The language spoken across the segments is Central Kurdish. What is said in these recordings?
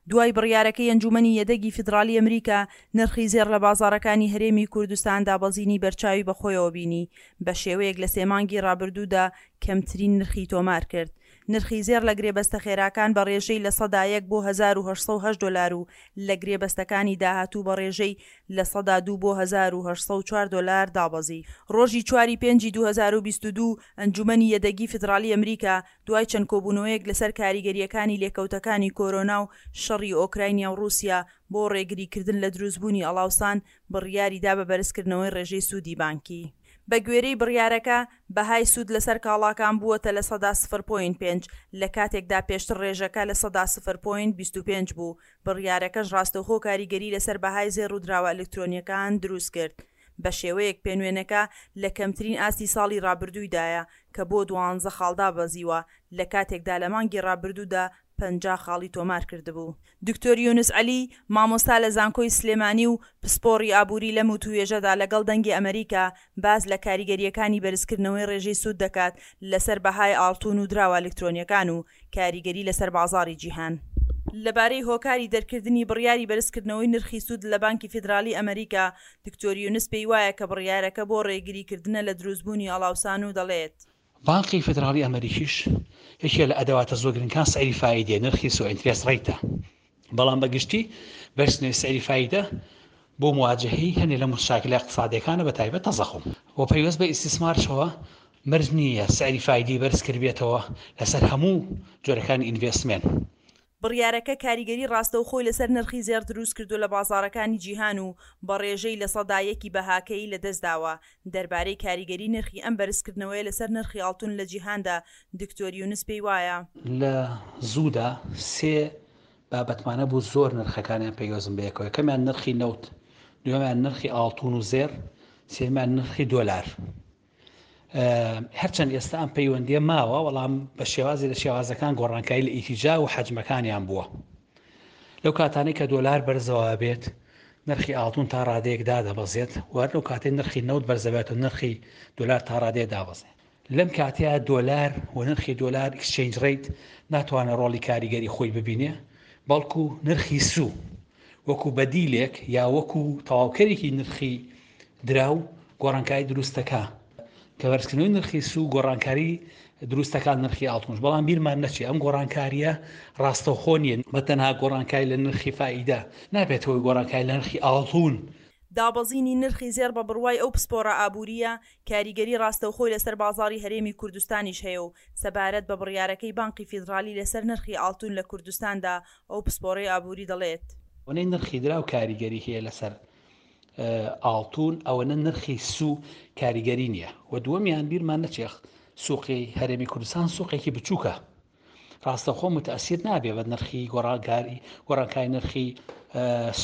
دوای بڕیارەکەی ئەنجوومەنی یەدەگی فیدڕاڵی ئەمریکا، نرخی زێڕ لە بازاڕەکانی هەرێمی کوردستان دابەزینی بەرچاوی بەخۆیەوە بینی، بەشێوەیەک لە سێ مانگی رابردوودا کەمترین نرخی تۆمارکرد. نرخی زێڕ لە گرێبەستە خێراکان بە رێژەی 1% بۆ 1808 دۆلار و لە گرێبەستەکانی داهاتوو بە رێژەی 2% بۆ 1804 دۆلار دابەزی. رۆژی چواری پێنجی 2022 ئەنجوومەنی یەدەگی فیدڕاڵی ئەمریکا دوای چەند کۆبوونەوەیەک لەسەر کاریگەرییەکانی لێکەوتەکانی کۆرۆنا و شەڕی ئۆکراینیا و ڕووسیا بۆ ڕێگریکردن لە دروستبوونی ئەڵاوسان، بڕیاری دا بە بەرزکردنەوەی ڕێژەی سوودی بانکی. بەگوێرەی بڕیارەکە، بەهای سوود لەسەر کاڵاکان بووەتە 0.5%، لە کاتێکدا پێشتر ڕێژەکە 0.25% بوو، بڕیارەکەش ڕاستەوخۆ کاریگەری لەسەر بەهای زێڕ و دراوە ئەلکترۆنییەکان دروستکرد. بەشێوەیەک پێنوێنەکە لە کەمترین ئاستی ساڵی رابردوویدایە کە بۆ دوانزە خاڵ دابەزیوە، لە کاتێکدا لە مانگی رابردوودا 50 خاڵی تۆمارکردبوو. دکتۆر یونس عەلی، مامۆستا لە زانکۆی سلێمانی و پسپۆڕی ئابووری لەم وتووێژەدا لەگەڵ دەنگی ئەمەریکا باس لە کاریگەرییەکانی بەرزکردنەوەی رێژەی سوود دەکات لەسەر بەهای ئاڵتون و دراوە ئەلکترۆنییەکان و کاریگەری لەسەر بازاڕی جیهان. لەبارەی هۆکاری دەرکردنی بڕیاری بەرزکردنەوەی نرخی سوود لە بانکی فیدرالی ئەمەریکا، دکتۆر یونس پێیوایە کە بڕیارەکە بۆ ڕێگریکردنە لە دروستبوونی ئاڵاوسان و دەڵێت. بانقی فیدراڵی ئەمەریکیش یەکێ لە ئەدەواتە زۆر گرنگەکان سعری فایدەیە، نرخی سوو interest rate ە، بەڵام بە گشتی بەرزکردنەوەی سعری فایدە بۆ مواجەهەی هەنێ لە مشاکلە ئیقتسادیەکانە بە تایبەت تەزەخوم و پەیوەست بە ئیستیسمارشەوە مەرج نییە سعری فایدەی بەرز کردبێتەوە لەسەر هەموو جۆرەکانی investment. بڕیارەکە کاریگەری ڕاستەوخۆی لەسەر نرخی زێڕ دروستکردووە لە بازاڕەکانی جیهان و بە ڕێژەی 1% ی بەهاکەی لەدەستداوە. دەربارەی کاریگەری نرخی ئەم بەرزکردنەوەیە لەسەر نرخی ئاڵتون لە جیهاندا، دکتۆر یونس پێیوایە. لە زوودا سێ بابەتمان هەبوو زۆر نرخەکانیان پەیوەستن بەیەکەوە، یەکەمیان نرخی نەوت، دووەمیان نرخی ئاڵتون و زێڕ، سێیەمیان نرخی دۆلار. هەرچەند ئێستا ئەم پەیوەندیە ماوە بەڵام بە شێوازی لە شێوازەکان گۆڕانکاری لە ئیتیجا و حەجمەکانیان بووە لەو کاتانەی کە دۆلار بەرزەوە بێت نرخی ئاڵتون تا ڕادەیەک دادەبەزێت وەر لەو کاتێک نرخی نەوت بەرزەبێت و نرخی دۆلار تا ڕادەیە دابەزێت لەم کاتەیە دۆلار و نرخی دۆلار exchange rate ناتوانێت ڕۆڵی کاریگەری خۆی ببینێ بەڵکو نرخی سوو وەکو بەدیلێک یا وەکو تەواوکەرێکی نرخی دراو گۆڕانکاری دروستەکا کە بەرزکردنەوەی نرخی سوو گۆڕانکاری دروستەکان نرخی ئاڵتونش بەڵام بیرمان نەچێ ئەم گۆڕانکاریە ڕاستەوخۆ نییە بە تەنها گۆڕانکاری لە نرخی فائیدە نابێت هۆی گۆڕانکاری لە نرخی ئاڵتون. دابەزینی نرخی زێڕ بە بڕوای ئەو پسپۆڕە ئابوورییە، کاریگەری ڕاستەوخۆی لەسەر بازاڕی هەرێمی کوردستانیش هەیە و سەبارەت بە بڕیارەکەی بانقی فیدڕالی لەسەر نرخی ئاڵتون لە کوردستاندا ئەو پسپۆڕەی ئابووری دەڵێت. ئەوەنەی نرخی دراو کاریگەری هەیە لەسەر ئاڵتون ئەوەنە نرخی سوو کاریگەری نییە و دووەمیان بیرمان نەچێ سوقی هەرێمی کوردستان سوقێکی بچووکە ڕاستەخۆ متەسیر نابێ بە نرخی گۆڕانکاری گۆڕانکاری نرخی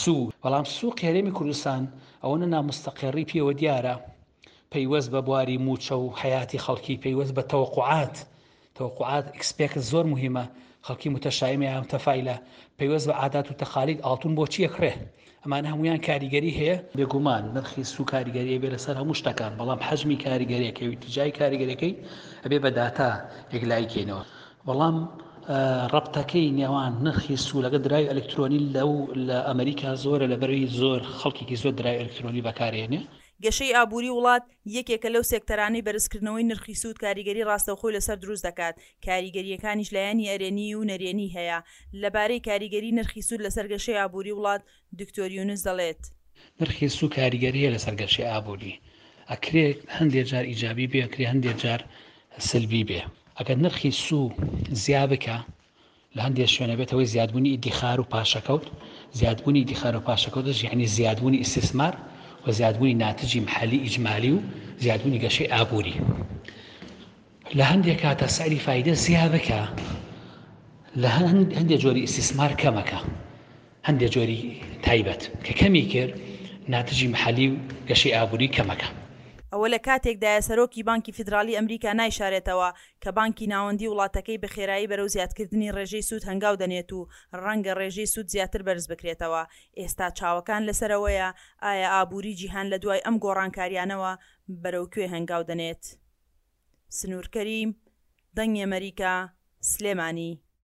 سوو بەڵام سوق هەرێمی کوردستان ئەوەنە نامستەقێڕی پێوە دیارە پەیوەست بە بواری مووچە و حەیاتی خەڵکی، پەیوەست بە تەوەقوعات، تەوەقوعات expect زۆر موهیمە، خەڵکی متشائمە یا متفائلە، پەیوەست بە عادات و تەقالید ئاڵتون بۆچی ئەکڕێ؟ ئەمانە هەموویان کاریگەری هەیە. بێگومان نرخی سوو کاریگەری ئەبێ لەسەر هەموو شتەکان، بەڵام حەجمی کاریگەریەکەی و ئیتیجاهی کاریگەریەکەی ئەبێ بە داتا یەکلایی کەینەوە. بەڵام ڕەبتەکەی نێوان نرخی سوو لەگەڵ دراوی ئەلکترۆنی لەو لە ئەمریکا زۆرە لەبەرئەوەی زۆر خەڵکێکی زۆر دراوی ئەلکترۆنی بەکارئێنێ. گەشەی ئابووری وڵات یەکێکە لەو سێکتەرانەی بەرزکردنەوەی نرخی سوود کاریگەری ڕاستەوخۆی لەسەر دروست دەکات، کاریگەرییەکانیش لایەنی ئەرێنیی و نەرێنیی هەیە. لەبارەی کاریگەری نرخی سوود لەسەر گەشەی ئابووری وڵات، دکتۆر یونس دەڵێت. نرخی سوو کاریگەری هەیە لەسەر گەشەی ئابووری، ئەکرێ هەندێ جار ئیجابی بێ، ئەکرێ هەندێ جار سلبی بێ. ئەگەر نرخی سوو زیا بکا، لە هەندێ شوێن ئەبێتە هۆی زیادبوونی ئیدیخار و پاشەکەوت، زیادبوونی ئیدیخار و پاشەکەوتش یەعنی زیادبوونی ئیستیسمار و زیادبوونی ناتجی محەلی ئیجمالی و زیادبوونی گەشەی ئابووری. لە هەندێ کاتا سعری فایدە زیا بکا لە هەندێ جۆری ئیستیسمار کەمەکە. هەندێ جۆری تایبەت کە کەمی کرد ناتجی محەلی و گەشەی ئابووری کەمەکە. ئەوە لە کاتێکدایە سەرۆکی بانکی فیدراڵی ئەمریکا نایشارێتەوە کە بانکی ناوەندی وڵاتەکەی بە خێرایی بەرەو زیادکردنی ڕێژەی سوود هەنگاو دەنێت و ڕەنگە ڕێژەی سوود زیاتر بەرز بکرێتەوە، ئێستا چاوەکان لەسەر ئەوەیە ئایا ئابووری جیهان لە دوای ئەم گۆڕانکاریانەوە بەرەو کوێ هەنگاو دەنێت. سنوور کەریم، دەنگی ئەمەریکا، سلێمانی.